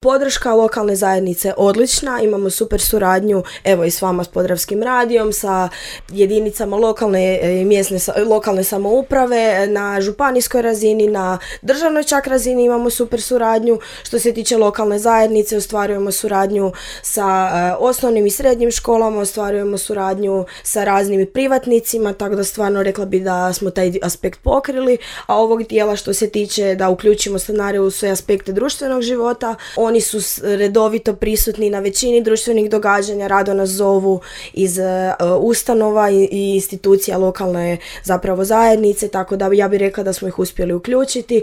Podrška lokalne zajednice odlična, imamo super suradnju evo i s vama s Podravskim radijom, sa jedinicama lokalne samouprave, na županijskoj razini, na državnoj čak razini imamo super suradnju. Što se tiče lokalne zajednice, ostvarujemo suradnju sa osnovnim i srednjim školama, ostvarujemo suradnju sa raznim privatnicima, tako da stvarno rekla bi da smo taj aspekt pokrili, a ovog dijela što se tiče da uključimo stanare u sve aspekte društvenog života, oni su redovito prisutni na većini društvenih događanja, rado nas zovu iz ustanova i institucija lokalne zapravo zajednice, tako da ja bih rekla da smo ih uspjeli uključiti.